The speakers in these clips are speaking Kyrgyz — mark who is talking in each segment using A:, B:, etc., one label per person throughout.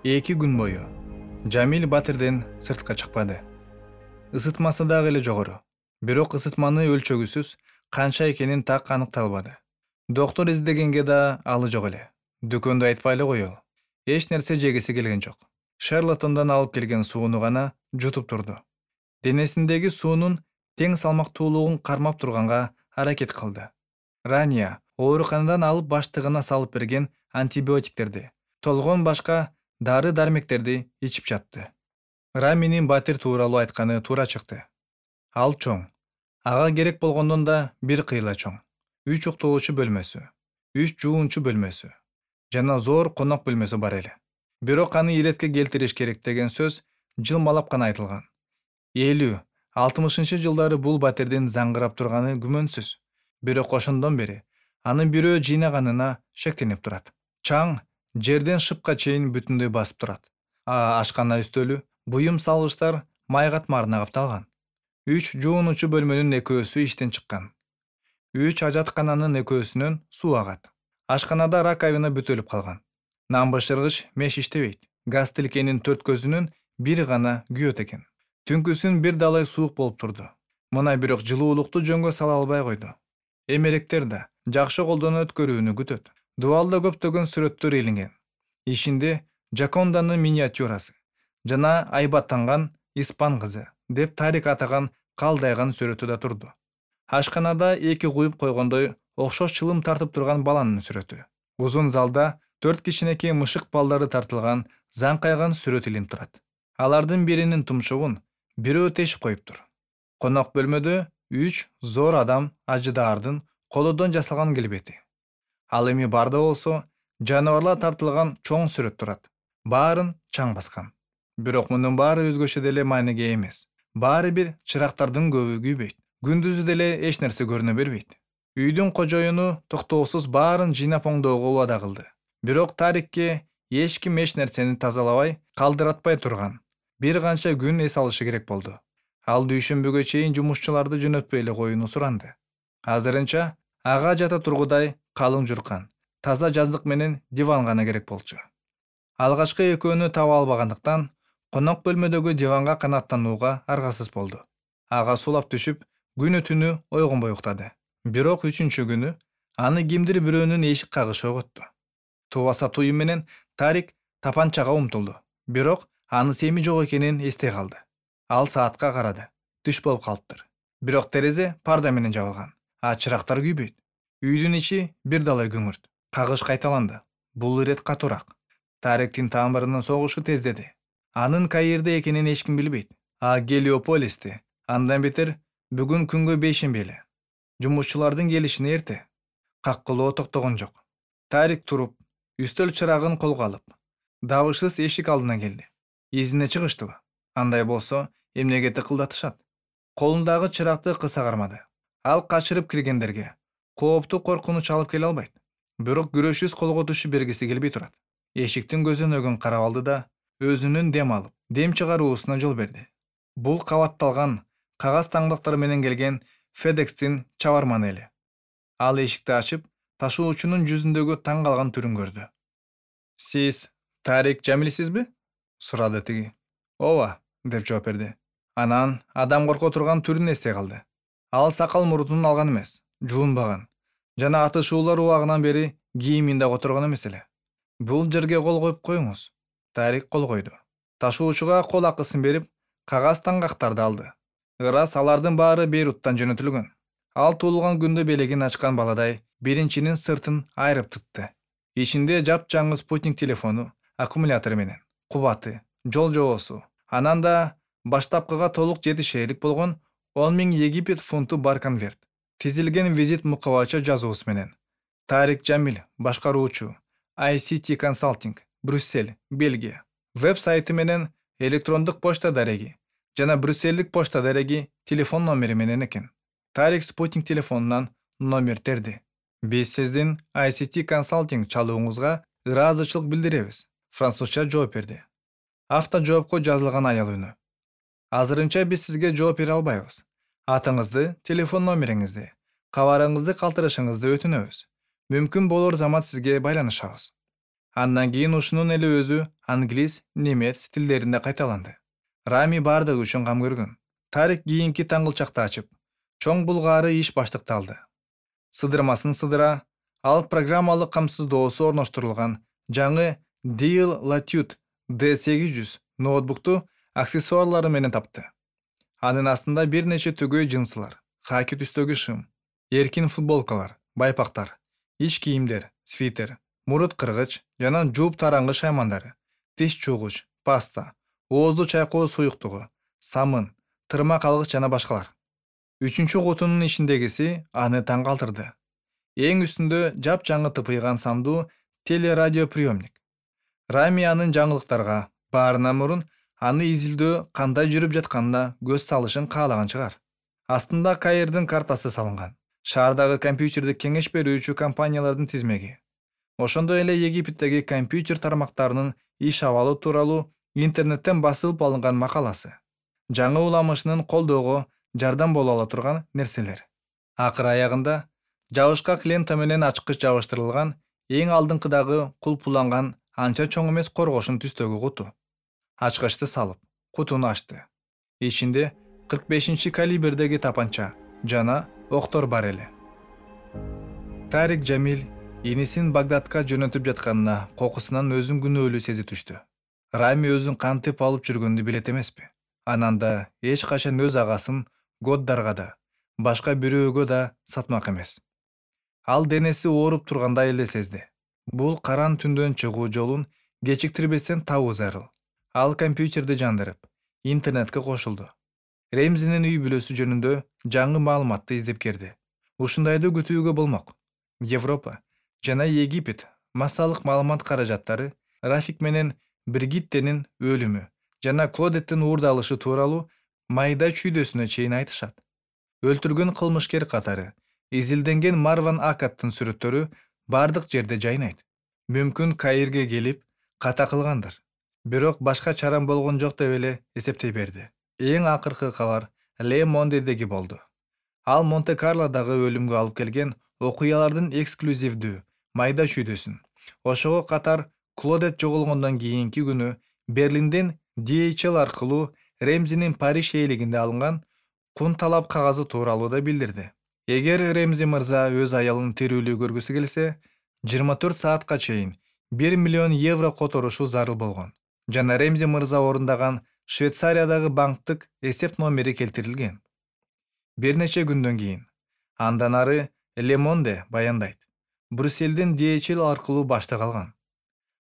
A: 2 күн бою Жамил батирден сыртка чыкпады. Isытмасы дагы эле жогору. Бирок ысытманы өлчөгүсүз канча экенин так аныкталбады. Доктор издегенге да алы жок эле. Дүкөндө айтпай эле коелу. Эч нерсе жегиси келген жок. Шарлатондан алып келген сууну гана жутуп турду. Денесиндеги суунун тең салмактуулугун кармап турганга аракет кылды. Рания ооруканадан алып баштыгына салып берген антибиотиктерди, толгон башка дары-дармектерди ичип жатты. Раминин батир тууралуу айтканы туура чыкты. Ал чоң. Ага керек болгондон да бир кыйла чоң. 3 уктоочу бөлмөсү, 3 жуунчу бөлмөсү жана зор конок бөлмөсү бар эле. Бирок аны иретке келтириш керек деген сөз жылмалап гана айтылган. 50-60 жылдары бул батирдин заңгырап турганы күмөнсүз. Бирок ошондон бери анын бирөө жыйнаганына шектенип турат. Чаң жерден шыпка чейин бүтүндөй басып турат. Ашкана үстөлү, буюм салгычтар май катмарына капталган. 3 жуунучу бөлмөнүн экөөсү иштен чыккан. 3 ажаткананын экөөсүнөн суу агат. Ашканада раковина бүтөлүп калган. Нан бышыргыч меш иштебейт. Газ тилкенин 4 көзүнүн бири гана күйөт экен. Түнкүсүн бир далай суук болуп турду. Мына бирок жылуулукту жөнгө сала албай койду. Эмеректер да жакшы колдон өткөрүүнү күтөт. Дубалда көптөгөн сүрөттөр илинген. Ишинде Жаконданын миниатюрасы жана айбаттанган испан кызы деп тарик атаган калдайган сүрөтү да турду. Ашканада 2 куюп койгондой окшош чылым тартып турган баланын сүрөтү. Узун залда 4 кичинекей мышык балдары тартылган заңкайган сүрөт илинип турат. Алардын биринин тумшугун бирөө тешип коюптур. Конок бөлмөдө 3 зор адам ажыдаардын колодон жасалган келбети. Ал эми барда болсо жаныбарлар тартылган чоң сүрөт турат. Баарын чаң баскан. Бирок мунун баары өзгөчө деле мааниге эмес. Баары бир чырактардын көбү күйбөйт. Күндүзү деле эч нерсе көрүнө бербейт. Үйдүн кожоюну токтоосуз баарын жыйнап оңдоого убада кылды. Бирок тарикке эч ким эч нерсени тазалабай, калдыратпай турган. Бир канча күн эс алышы керек болду. Ал дүйшөмбүгө чейин жумушчуларды жөнөтпөй эле коюуну суранды. Азырынча ага жата тургудай калың журкан, таза жаздык менен диван гана керек болчу. Алгачкы экөөнү таба албагандыктан конок бөлмөдөгү диванга канаттанууга аргасыз болду. Ага сулап түшүп, күнү түнү ойгонбой уктады. Бирок 3-чү күнү аны кимдир бирөөнүн эшик кагышы оготту. Тубаса туюу менен Тарик тапанчага умтулду. Бирок аны семи жок экенин эстей калды. Ал саатка карады. Түш болуп калыптыр. Бирок терезе парда менен жабылган. Чырактар күйбөйт. Үйдүн ичи бир далай күңүрт. Кагыш кайталанды. Бул ирет катуураак. Тариктин тамырынын согушу тездеди. Анын Каирде экенин эч ким билбейт. Гелиополисте. Андан бетер бүгүн күнгө бейшемби эле. Жумушчулардын келишине эрте. Каккылоо токтогон жок. Тарик туруп, үстөл чырагын колго алып, дабышсыз эшик алдына келди. Изине чыгыштыбы? Андай болсо, эмнеге тыкылдатышат? Колундагы чыракты кыса кармады. Ал качырып киргендерге кооптуу коркунуч алып келе албайт. Бирок күрөшүз колго түшүп бергиси келбей турат. Эшиктин көзөнөгүн карап алды да өзүнүн дем алып, дем чыгаруусуна жол берди. Бул кабатталган кагаз таңдактар менен келген FedEx'тин чабарманы эле. Ал эшикти ачып, ташуучунун жүзүндөгү таң калган түрүн көрдү. «Сиз Тарик Жамилсизби?» сурады тиги. «Ооба», деп жооп берди. Анан адам корко турган түрүн эстей калды. Ал сакал мурдун алган эмес, жуунбаган жана атышуулар убагынан бери кийиминде которгон эмес эле. «Бул жерге кол коюп коюңуз». Тарик кол койду. Ташуучуга кол акысын берип, кагаз таңгактарды алды. Ырас алардын баары Бейруттан жөнөтүлгөн. Ал туулган күндө белегин ачкан баладай биринчинин сыртын айрып тытты. Ичинде жапжаңы спутник телефону, аккумулятор менен, кубаты, жол жоосу, анан да баштапкыга толук жетишерлик болгон 10.000 Египет фунту бар конверт. Тизилген визит мукабача жазуусу менен. Тарик Жамил, башкаруучу, ICT Consulting, Брюссель, Бельгия. Веб-сайты менен электрондук почта дареги жана брюссельдик почта дареги телефон номери менен экен. Тарик спутник телефонунан номер терди. «Биз сиздин ICT Consulting чалууңузга ыраазычылык билдиребиз», французча жооп берди. Авто жоопко жазылган аял үнү. «Азырынча биз сизге жооп бере албайбыз. Атыңызды, телефон номериңизди, кабарыңызды калтырышыңызды өтүнөбүз. Мүмкүн болор замат сизге байланышабыз». Андан кийин ушунун эле өзү англис, немец тилдеринде кайталанды. Рами бардыгы үчүн кам көргөн. Тарик кийинки таңгылчакты ачып, чоң булгаары иш баштыкталды. Сыдырмасын сыдыра, ал программалык камсыздоосу орноштурулган жаңы Dell Latitude D800 ноутбукту аксессуарлары менен тапты. Анын астында бир нече түгөй жынсылар, хаки түстөгү шым, эркин футболкалар, байпактар, ич кийимдер, свитер, мурут кыргыч жана жууп тараңгы шаймандары, тиш чуугуч, паста, оозду чайкоо суюктугу, самын, тырмак алгыч жана башкалар. Үчүнчү кутунун ичиндегиси аны таң калтырды. Эң үстүндө жапжаңы тыпыйган сандуу телерадиоприемник. Рами анын жаңылыктарга баарынан мурун аны изилдөө кандай жүрүп жатканына көз салышын каалаган чыгар. Астында Каирдин картасы салынган. Шаардагы компьютерди кеңеш берүүчү компаниялардын тизмеги. Ошондой эле Египеттеги компьютер тармактарынын иш абалы тууралуу интернеттен басылып алынган макаласы. Жаңы уламышынын колдоого жардам боло ала турган нерселер. Акыр аягында жабышкак лента менен ачкыч жабыштырылган эң алдыңкыдагы кулпуланган анча чоң эмес коргошун түстөгү куту. Ачкычты салып, кутуну ачты. Ичинде 45 калибрдеги тапанча жана октор бар эле. Тарик Жамил инисин Багдадка жөнөтүп жатканына кокусунан өзүн күнөөлүү сезип түштү. Рами өзүн кантип алып жүргөндү билет эмеспи? Анан да эч качан өз агасын Годдарга да, башка бирөөгө да сатмак эмес. Ал денеси ооруп тургандай эле сезди. Бул каран түндөн чыгуу жолун кечиктирбестен табуу зарыл. Ал компьютерди жандырып, интернетке кошулду. Ремзинин үй бүлөсү жөнүндө жаңы маалыматты издеп келди. Ушундайды күтүүгө болмок. Европа жана Египет массалык маалымат каражаттары Рафик менен Бригиттенин өлүмү жана Клодеттин уурдалышы тууралуу майда чүйдөсүнө чейин айтышат. Өлтүргөн кылмышкер катары изилденген Марван Акаттын сүрөттөрү бардык жерде жайнайт. Мүмкүн Каирге келип ката кылгандыр. Бирок башка чарам болгон жок деп эле эсептей берди. Эң акыркы кабар Le Mondedеги болду. Ал Монте-Карлодагы өлүмгө алып келген окуялардын эксклюзивдүү майда чүйдөсүн. Ошого катар Клодет жоголгондон кийинки күнү Берлинден DHL аркылуу Ремзинин Париж ээлигинде алынган кун талап кагазы тууралуу да билдирди. Эгер Ремзи мырза өз аялын тирүүлүү көргүсү келсе, 24 саатка чейин 1 миллион евро которушу зарыл болгон. Жана Ремзи мырза орундаган Швейцариядагы банктык эсеп номери келтирилген. Бир нече күндөн кийин андан ары Le Monde баяндайт. Брюсселдин DHL аркылуу баштык алган.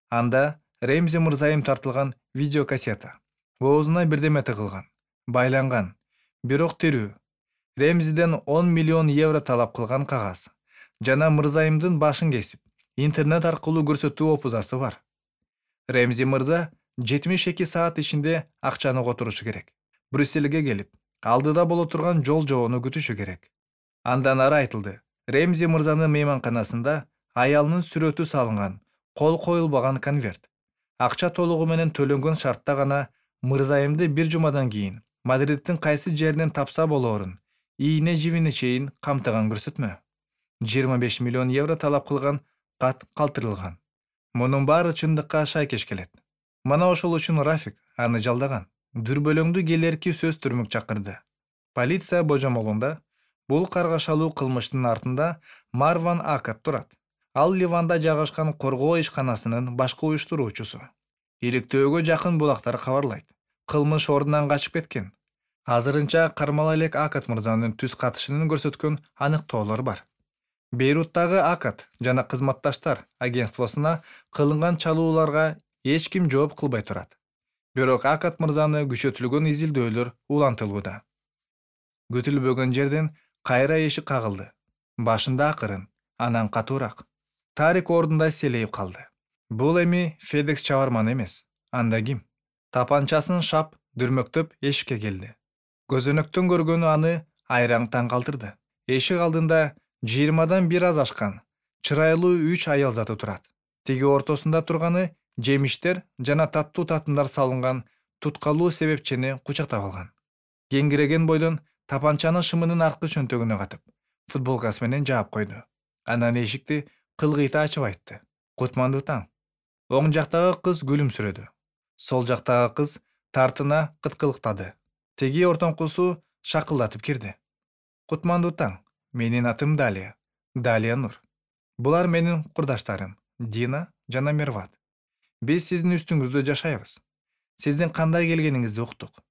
A: Анда Ремзи мырзайым тартылган видеокассета. Оозуна бирдеме тыгылган, байланган, бирок тирүү. Ремзиден 10 миллион евро талап кылган кагаз. Жана мырзайымдын башын кесип, интернет аркылуу көрсөтүү опузасы бар. Ремзи мырза 72 саат ичинде акчаны которушу керек. Брюссельге келип, алдыда боло турган жол жобону күтүшү керек. Андан ары айтылды. Ремзи мырзанын мейманканасында аялынын сүрөтү салынган, кол коюлбаган конверт. Акча толугу менен төлөнгөн шартта гана мырзайымды бир жумадан кийин Мадридтин кайсы жеринен тапса болоорун ийне живине чейин камтыган көрсөтмө. 25 миллион евро талап кылган кат калтырылган. Мунун баары чындыкка шайкеш келет. Мана ошол үчүн Рафик аны жалдаган. Дүрбөлөңдү келерки сөз түрмөк чакырды. Полиция божомолунда бул каргашалуу кылмыштын артында Марван Акат турат. Ал Ливанда жайгашкан коргоо ишканасынын башкы уюштуруучусу. Иликтөөгө жакын булактар кабарлайт. Кылмыш ордунан качып кеткен. Азырынча кармала элек Акат мырзанын түз катышынын көрсөткөн аныктоолор бар. Бейруттагы Акат жана кызматташтар агентствосуна кылынган чалууларга эч ким жооп кылбай турат. Бирок Акат мырзаны күчөтүлгөн изилдөөлөр улантылууда. Күтүлбөгөн жерден кайра эшик кагылды. Башында акырын, анан катуураак. Тарик ордунда селейип калды. Бул эми FedEx чабарманы эмес. Анда ким? Тапанчасын шап дүрмөктөп эшикке келди. Көзөнөктөн көргөнү аны айраң таң калтырды. Эшик алдында 20дан бир аз ашкан, чырайлуу 3 аял заты турат. Тиги ортосунда турганы жемиштер жана таттуу татымдар салынган туткалуу себепчени кучактап алган. Кеңиреген бойдон тапанчаны шымынын аркы чөнтөгүнө катып, футболкасы менен жаап койду. Анан эшикти кылгыйта ачып айтты. Кутмандуу таң. Оң жактагы кыз күлүмсүрөдү. Сол жактагы кыз тартына кыткылыктады. Теги ортоңкусу шакылдатып кирди. Кутмандуу таң. Менин атым Далия. Далия Нур. Булар менин курдаштарым, Дина жана Мерват. Биз сиздин үстүңүздө жашайбыз. Сиздин кандай келгениңизди уктук.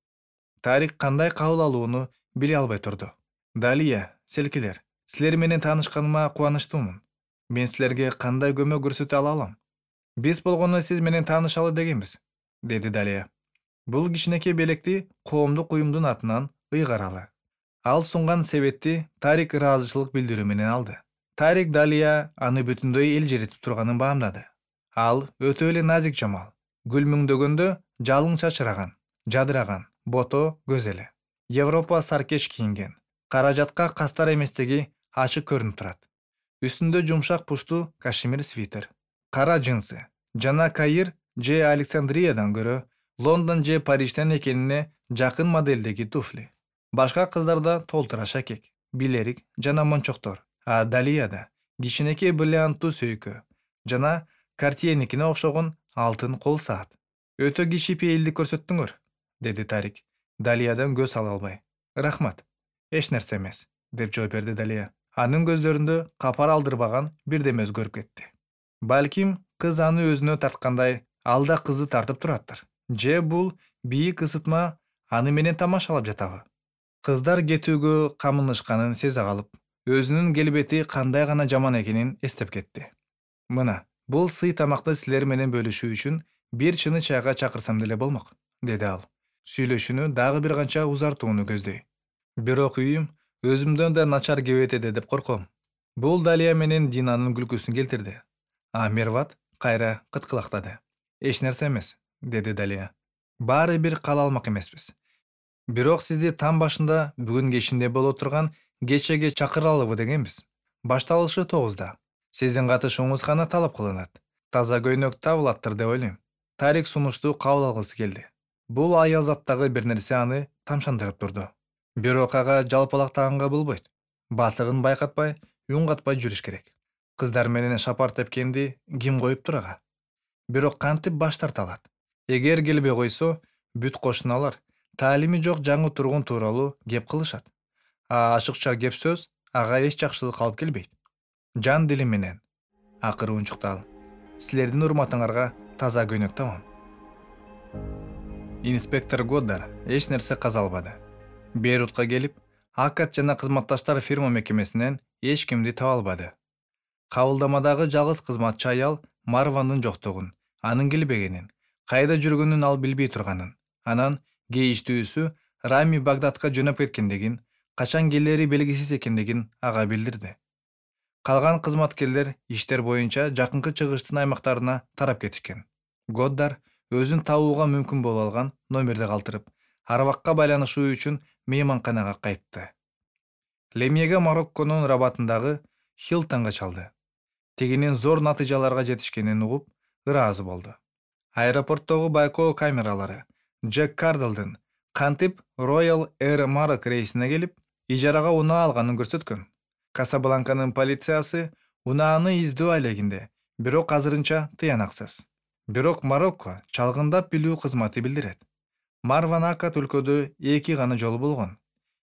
A: Тарик кандай кабыл алууну биле албай турду. Далия, селкилер, силер менен таанышканыма кубанычтуумун. Мен силерге кандай көмөк көрсөтө алам? Биз болгону сиз менен таанышалы дегенбиз, деди Далия. Бул кичинекей белекти коомдук уюмдун атынан ыйгаралы. Ал сунган себетти Тарик ыраазычылык билдирүү менен алды. Тарик Далия аны бүтүндөй элжиретип турганын баамдады. Ал өтө эле назик жамал. Гүл мүңдөгөндө жалың чачыраган, жадыраган, бото көз эле. Европа саркеш кийинген. Каражатка кастар эместиги ачык көрүнүп турат. Үстүндө жумшак пуштуу кашемир свитер, кара джинсы жана Каир же Александриядан көрө Лондон же Парижден экенине жакын модельдеги туфли. Башка кыздарда толтура шакек, билерик жана мончоктор, а Далияда кичинекей бриллианттуу сөйкө жана Картьеникине окшогон алтын кол саат. Өтө кичипейилдик көрсөттүңөр, деди Тарик, Далиядан көз ала албай. Рахмат. Эч нерсе эмес, деп жооп берди Далия. Анын көздөрүндө капар алдырбаган бирдеме өзгөрүп кетти. Балким кыз аны өзүнө тарткандай алда кызды тартып тураттыр. Же бул бийик ысытма аны менен тамашалап жатабы? Кыздар кетүүгө камынышканын сезе калып, өзүнүн келбети кандай гана жаман экенин эстеп кетти. Мына, бул сый тамакты силер менен бөлүшүү үчүн бир чыны чайга чакырсам деле болмок, деди ал. Сүйлөшүүнү дагы бир канча узартууну көздөй. Бирок үйүм өзүмдөн да начар кебетеди деп корком. Бул Далия менен Динанын күлкүсүн келтирди. А Мерват кайра кыткылактады. Эч нерсе эмес, деди Далия. Баары бир кала алмак эмеспиз. Бирок сизди таң башында бүгүн кечинде боло турган кечеге чакыралыбы дегенбиз. Башталышы 9-да. Сиздин катышууңуз гана талап кылынат. Таза көйнөк табылаттыр деп ойлойм. Тарик сунушту кабыл алгысы келди. Бул аял заттагы бир нерсе аны тамшандырып турду. Бирок ага жалпалактаганга болбойт. Басыгын байкатпай, үн катпай жүрүш керек. Кыздар менен шапар тепкенди ким коюптур ага? Бирок кантип баш тарта алат? Эгер келбей койсо, бүт кошуналар таалими жок жаңы тургун тууралуу кеп кылышат. А ашыкча кеп сөз ага эч жакшылык алып келбейт. Жан дилим менен, акыры унчукту ал. Силердин урматыңарга таза көйнөк табам. Инспектор Годдар эч нерсе каза албады. Бейрутка келип, Акат жана кызматташтар фирма мекемесинен эч кимди таба албады. Кабылдамадагы жалгыз кызматчы аял Марвандын жоктугун, анын келбегенин, кайда жүргөнүн ал билбей турганын, анан кейиштүүсү Рами Багдадка жөнөп кеткендигин, качан келери белгисиз экендигин ага билдирди. Калган кызматкерлер иштер боюнча жакынкы чыгыштын аймактарына тарап кетишкен. Годдар өзүн табууга мүмкүн боло алган номерди калтырып, Арабакка байланышуу үчүн мейманканага кайтты. Лемьеге Марокконун Рабатындагы Хилтонго чалды. Тегинин зор натыйжаларга жетишкенин угуп, ыраазы болду. Аэропорттогу байкоо камералары Джек Кардалдын кантип Royal Air Maroc рейсине келип, ижарага унаа алганын көрсөткөн. Касабланканын полициясы унааны издөө алегинде, бирок азырынча тыянаксыз. Бирок Марокко чалгындап билүү кызматы билдирет. Марван Акат өлкөдө 2 гана жолу болгон.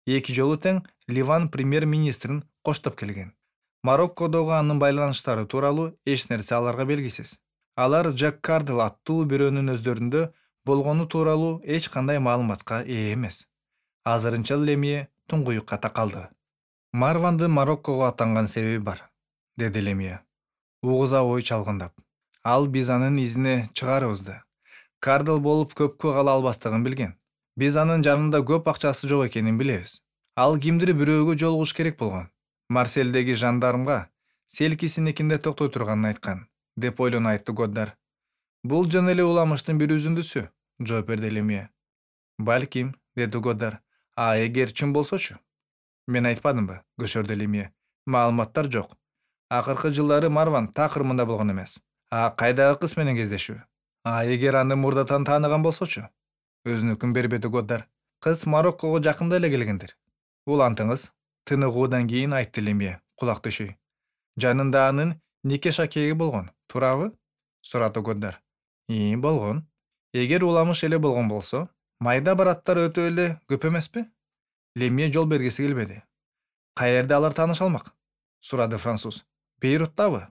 A: 2 жолу тең Ливан премьер-министрин коштоп келген. Мароккодогу анын байланыштары тууралуу эч нерсе аларга белгисиз. Алар Джек Кардал аттуу бирөөнүн өздөрүндө болгону тууралуу эч кандай маалыматка ээ эмес. Азырынча Лемье туңгуюкка такалды. Марвандын Мароккого аттанган себеби бар, деди Лемье. Угуза ой чалгындап. Ал биз анын изине чыгарыбызды. Кардал болуп көпкө кала албастыгын билген. Биз анын жанында көп акчасы жок экенин билебиз. Ал кимдир бирөөгө жолугуш керек болгон. Марселдеги жандармга селкисиникинде токтой турганын айткан, деп ойлону айтты Годдар. Бул жөн эле уламыштын бир үзүндүсү, жооп берди Лемье. Балким, деди Годдар. А эгер чын болсочу? Мен айтпадымбы, көшөрдү Лемье. Маалыматтар жок. Акыркы жылдары Марван такыр мында болгон эмес. А кайдагы кыз менен кездешүү? А эгер аны мурдатан тааныган болсочу? Өзүнүкүн бербеди Годдар. Кыз Мароккого жакында эле келгендир. Улантыңыз, тыныгуудан кийин айтты Лемье, кулак түшөй. Жанында анын нике шакеги болгон, туурабы? сурады Годдар. Болгон. Эгер уламыш эле болгон болсо, майда бараттар өтө эле көп эмеспи? Лемье жол бергиси келбеди. Каерде алар тааныша алмак? Сурады француз. Бейруттабы?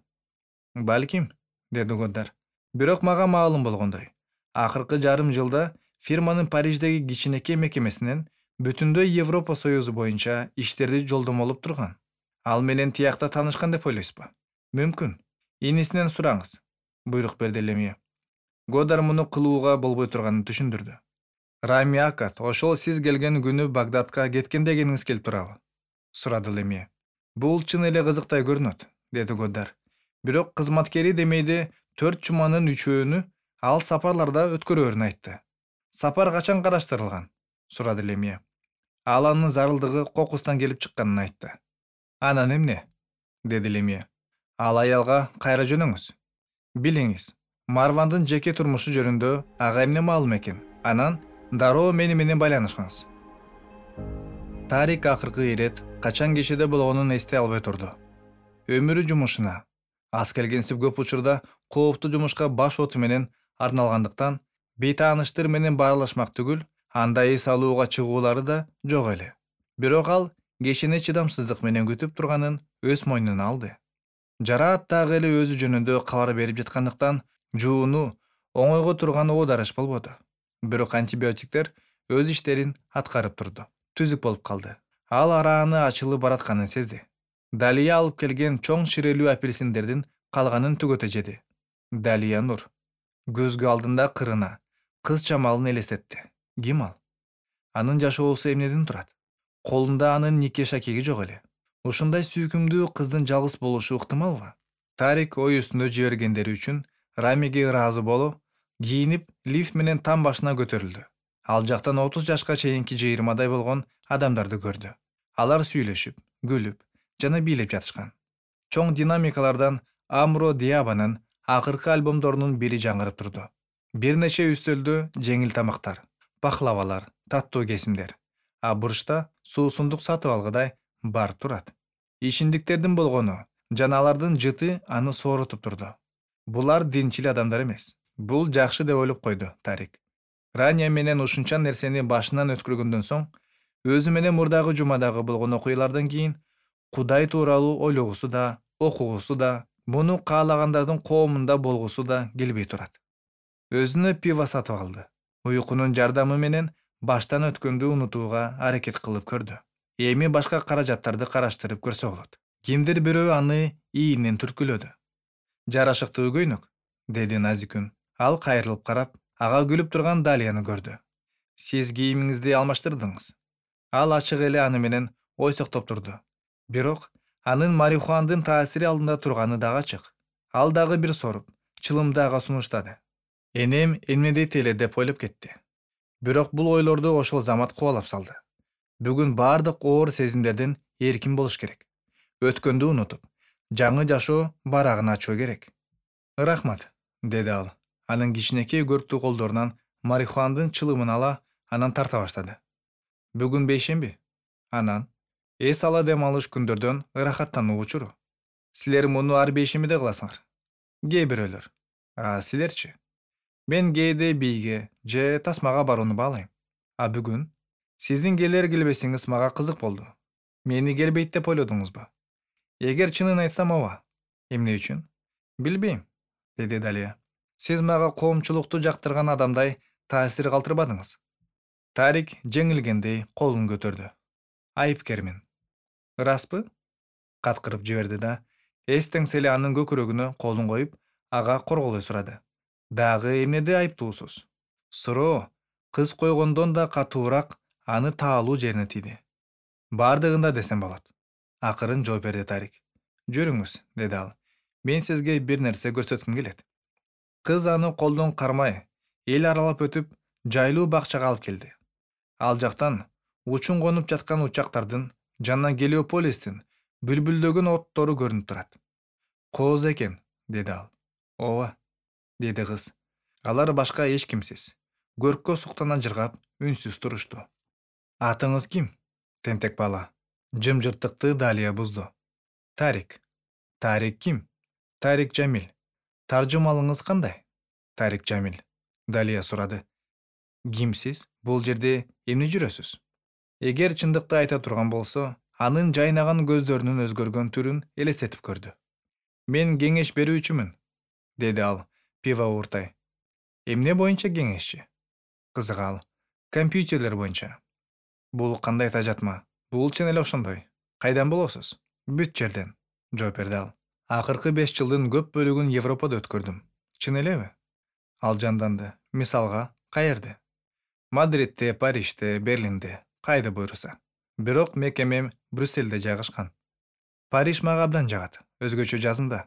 A: Балким, деди Годдар. Бирок мага маалым болгондой, акыркы жарым жылда фирманын Париждеги кичинекей мекемесинен бүтүндөй Европа Союзу боюнча иштерди жолдомолоп турган. Ал менен тиякта таанышкан деп ойлойсузбу? Мүмкүн. Инисинен сураңыз, буйрук берди Лемье. Годдар муну кылууга болбой турганын түшүндүрдү. Рами Акат, ошол сиз келген күнү Багдадка кеткен дегениңиз келип турабы? Сурады Лемье. Бул чын эле кызыктай көрүнөт, деди Годдар. Бирок кызматкери демейде 4 жуманын 3-өөнү ал сапарларда өткөрөөрүн айтты. Сапар качан караштырылган? Сурады Лемье. Ал анын зарылдыгы кокустан келип чыкканын айтты. Анан эмне? Деди Лемье. Ал аялга кайра жөнөңүз. Билиңиз, Марвандын жеке турмушу жөнүндө ага эмне маалым экен. Анан дароо мени менен байланышыңыз. Тарик акыркы ирет качан кечеде болгонун эстей албай турду. Өмүрү жумушуна, аз келгенсип көп учурда кооптуу жумушка баш оту менен арналгандыктан бейтааныштар менен баарлашмак түгүл, андай эс алууга чыгуулары да жок эле. Бирок ал кечени чыдамсыздык менен күтүп турганын өз мойнуна алды. Жараат дагы эле өзү жөнүндө кабар берип жаткандыктан жууну оңойго турган оодарыш болбоду. Бирок антибиотиктер өз иштерин аткарып турду. Түзүк болуп калды. Ал арааны ачылып баратканын сезди. Далия алып келген чоң ширелүү апельсиндердин калганын түгөтө жеди. Далия нур. Көзгө алдында кырына, кыз чамалын элестетти. Ким ал? Анын жашоосу эмнеден турат? Колунда анын нике шакеги жок эле. Ушундай сүйкүмдүү кыздын жалгыз болушу ыктымалбы? Тарик ой үстүндө жибергендери үчүн Рамиге ыраазы болуп, кийинип, лифт менен там башына көтөрүлдү. Ал жактан 30 жашка чейинки 20 болгон адамдарды көрдү. Алар сүйлөшүп, күлүп жана бийлеп жатышкан. Чоң динамикалардан Амро Диабанын акыркы альбомдорунун бири жаңырып турду. Бир нече үстөлдө жеңил тамактар, пахлавалар, таттуу кесимдер. А бурчта суусундук сатып алгыдай бар турат. Ишимдиктердин болгону жана алардын жыты аны соорутуп турду. Булар динчил адамдар эмес. Бул жакшы деп ойлоп койду Тарик. Рания менен ушунча нерсени башынан өткөргөндөн соң, өзү менен мурдагы жумадагы болгон окуялардан кийин Кудай тууралуу ойлогусу да, окугусу да, муну каалагандардын коомунда болгусу да келбей турат. Өзүнө пиво сатып алды. Уйкунун жардамы менен баштан өткөндү унутууга аракет кылып көрдү. Эми башка каражаттарды караштырып көрсө болот. Кимдир бирөө аны ийинен түрткүлөдү. Жарашыктуу көйнөк, деди назик үн. Ал кайрылып карап, ага күлүп турган Далияны көрдү. Сиз кийимиңизди алмаштырдыңыз. Ал ачык эле аны менен ойсоктоп турду. Бирок анын марихуандын таасири алдында турганы дагы ачык. Ал дагы бир соруп, чылымды ага сунуштады. Энем эмне дейт эле деп ойлоп кетти. Бирок бул ойлорду ошол замат кубалап салды. Бүгүн бардык оор сезимдерден эркин болуш керек. Өткөндү унутуп, жаңы жашоо барагын ачуу керек. Рахмат, деди ал. Анын кичинекей көрктүү колдорунан марихуандын чылымын ала, анан тарта баштады. Бүгүн бейшемби? Анан эс ала дем алыш күндөрдөн ырахаттануу учуру. Силер муну ар бейшембиде кыласыңар. Кээ бирөөлөр. А силерчи? Мен кээде бийге же тасмага барууну баалайм. А бүгүн сиздин келер келбесиңиз мага кызык болду. Мени келбейт деп ойлодуңузбу? Эгер чынын айтсам ооба. Эмне үчүн? Билбейм, деди Далия. Сиз мага коомчулукту жактырган адамдай таасир калтырбадыңыз. Тарик жеңилгендей колун көтөрдү. Айыпкермин. Ыраспы? Каткырып жиберди да, эстеңселе анын көкүрөгүнө колун коюп, ага корголой сурады. Дагы эмнеде айыптуусуз? Суроо кыз койгондон да катуураак аны таалуу жерине тийди. Бардыгында десем болот. Акырын жооп берди Тарик. Жүрүңүз, деди ал. Мен сизге бир нерсе көрсөткүм келет. Кыз аны колдон кармай, эл аралап өтүп, жайлуу бакчага алып келди. Ал жактан учун конуп жаткан учактардын жана Гелиополистин бүлбүлдөгөн оттору көрүнүп турат. Кооз экен, деди ал. Ооба, деди кыз. Алар башка эч кимсиз. Көрккө суктана жыргап, үнсүз турушту. Атыңыз ким? Тентек бала. Жымжырттыкты Далия бузду. Тарик. Тарик ким? Тарик Жамил. Таржымалыңыз кандай? Тарик Жамил. Далия сурады. Кимсиз? Бул жерде эмне жүрөсүз? Эгер чындыкты айта турган болсо, анын жайнаган көздөрүнүн өзгөргөн түрүн элестетип көрдү. Мен кеңеш берүүчүмүн, деди ал пиво ууртай. Эмне боюнча кеңешчи? Кызык ал. Компьютерлер боюнча. Бул кандай тажатма? Бул чын эле ошондой. Кайдан болосуз? Бүт жерден, жооп берди ал. Акыркы 5 жылдын көп бөлүгүн Европада өткөрдүм. Чын элеби? Ал жанданды. Мисалга, каерде? Мадридте, Парижде, Берлинде, кайда буйруса. Бирок мекемем Брюссельде жайгашкан. Париж мага абдан жагат. Өзгөчө жазында.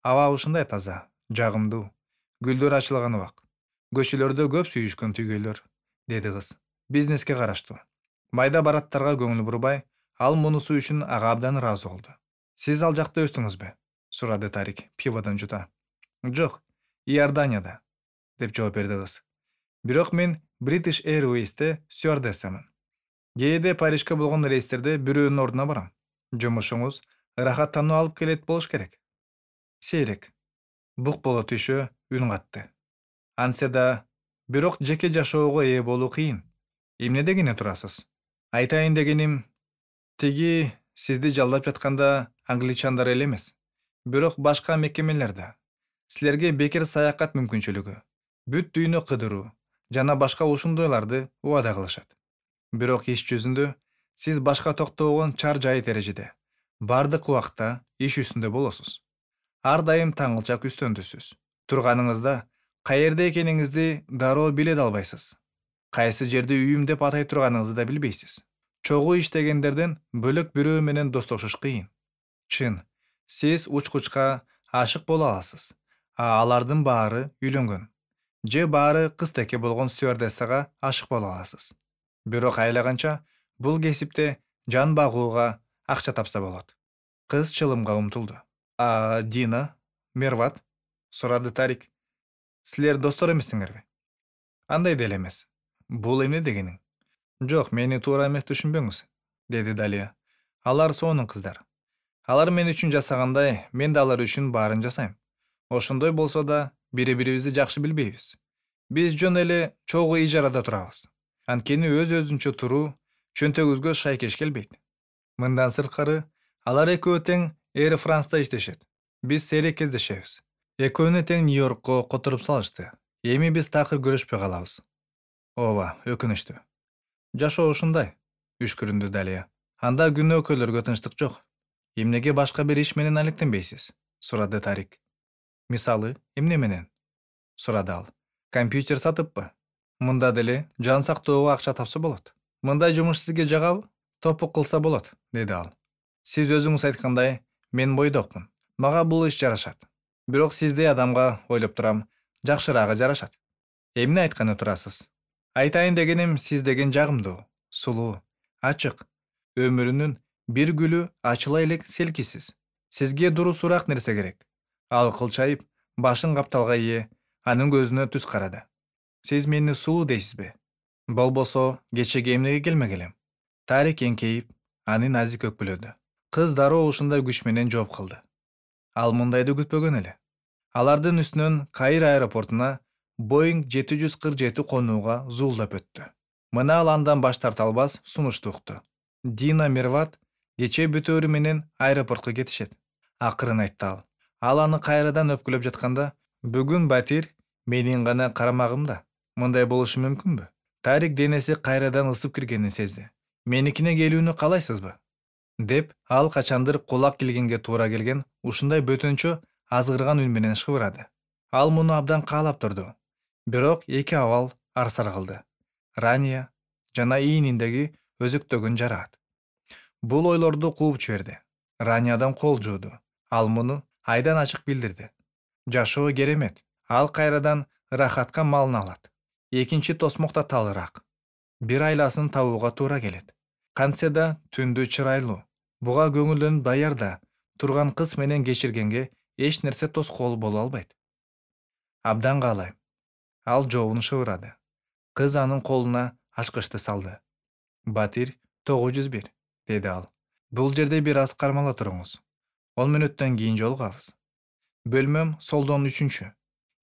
A: Аба ушундай таза, жагымдуу. Гүлдөр ачылган убак. Көчөлөрдө көп сүйүшкөн түйгөйлөр, деди кыз. Бизнеске караштуу. Майда бараттарга көңүл бурбай, ал мунусу үчүн ага абдан ыраазы болду. Сиз ал жакта өстүңүзбү? Сурады Тарик пиводон жута. Жок, Иорданияда, деп жооп берди кыз. Бирок мен British Airways'те стюардессамын. Кээде Парижге болгон рейстерде бирөөнүн ордуна барам. Жумушуңуз ырахаттануу алып келет болуш керек. Сейрек. Бук боло түшө үн катты. Антсе да, бирок жеке жашоого ээ болуу кыйын. Эмне дегене турасыз? Айтайын дегеним, тиги сизди жалдап жатканда англичандар эле эмес, бирок башка мекемелерде. Силерге бекер саякат мүмкүнчүлүгү, бүт дүйнө кыдыруу жана башка ушундойларды убада кылышат. Бирок иш жүзүндө сиз башка токтогон чар жайыт эрежеде, бардык убакта иш үстүндө болосуз. Ар дайым таңылчак үстөндүсүз. Турганыңызда каерде экениңизди дароо биле да албайсыз. Кайсы жерди үйүм деп атай турганыңызды да билбейсиз. Чогуу иштегендерден бөлөк бирөө менен достошуш кыйын. Чын, сиз учкучка ашык боло аласыз, алардын баары үйлөнгөн. Же баары кыз-теке болгон стюардессага ашык боло аласыз. Бирок айлаганча бул кесипте жан багууга акча тапса болот. Кыз чылымга умтулду. Дина, Мерват? Сурады Тарик. Силер достор эмессиңерби? Андай деле эмес. Бул эмне дегениң? Жок, мени туура эмес түшүнбөңүз, деди Далия. Алар сонун кыздар. Алар мен үчүн жасагандай, мен да алар үчүн баарын жасайм. Ошондой болсо да, бири-бирибизди жакшы билбейбиз. Биз жөн эле чогуу ижарада турабыз. Анткени өз-өзүнчө туруу чөнтөгүбүзгө шайкеш келбейт. Мындан сырткары, алар экөө тең Air France'да иштешет. Биз сейрек кездешебиз. Экөөнү тең Нью-Йоркко которуп салышты. Эми биз такыр көрүшпөй калабыз. Ооба, өкүнүчтүү. Жашоо ушундай, үшкүрүндү Далия. Анда күнөөкөйлөргө тынчтык жок. Эмнеге башка бир иш менен алектенбейсиз? Сурады Тарик. Мисалы, эмне менен? Сурады ал. Компьютер сатыппы? Мында деле жан сактоого акча тапса болот. Мындай жумуш сизге жагабы? Топук кылса болот, деди ал. Сиз өзүңүз айткандай, мен бойдокмун. Мага бул иш жарашат. Бирок сиздей адамга ойлоп турам, жакшыраагы жарашат. Эмне айтканы турасыз? Айтайын дегеним, сиз деген жагымдуу, сулуу, ачык. Өмүрүнүн бир гүлү ачыла элек селкисиз. Сизге дурусураак нерсе керек. Ал кылчайып, башын капталга ээ, анын көзүнө түз карады. Сиз мени сулуу дейсизби? Болбосо, кечеге эмнеге келмек элем? Тарик эңкейип, аны назик өкпүлөдү. Кыз дароо ушундай күч менен жооп кылды. Ал мындайды күтпөгөн эле. Алардын үстүнөн Каир аэропортуна Boeing 747 конууга зуулдап өттү. Мына ал андан баш тарта албас сунушту укту. Дина Мерват кече бүтөөрү менен аэропортко кетишет. Акырын айтты ал. Ал аны кайрадан өпкүлөп жатканда, бүгүн Батир менин гана карамагымда. Мындай болушу мүмкүнбү? Тарик денеси кайрадан ысып киргенин сезди. Меникине келүүнү каалайсызбы? Деп ал качандыр кулак келгенге туура келген ушундай бөтөнчө азгырган үн менен шыбырады. Ал муну абдан каалап турду. Бирок эки абал арсар кылды. Рания жана ийниндеги өзөктөгөн жараат. Бул ойлорду кууп жиберди. Раниядан кол жууду. Ал муну айдан ачык билдирди. Жашоо керемет. Ал кайрадан ырахатка малын алат. Экинчи тосмок да талыраак. Бир айласын табууга туура келет. Кантсе да түндү чырайлуу. Буга көңүлдөнүп даярда турган кыз менен кечиргенге эч нерсе тоскоол боло албайт. Абдан каалайм. Ал жообун шыбырады. Кыз анын колуна ачкычты салды. Батир 901, деди ал. Бул жерде бир аз кармала туруңуз. 10 мүнөттөн кийин жолугабыз. Бөлмөм солдон 3.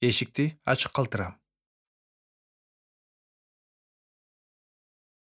A: Эшикти ачык калтырам.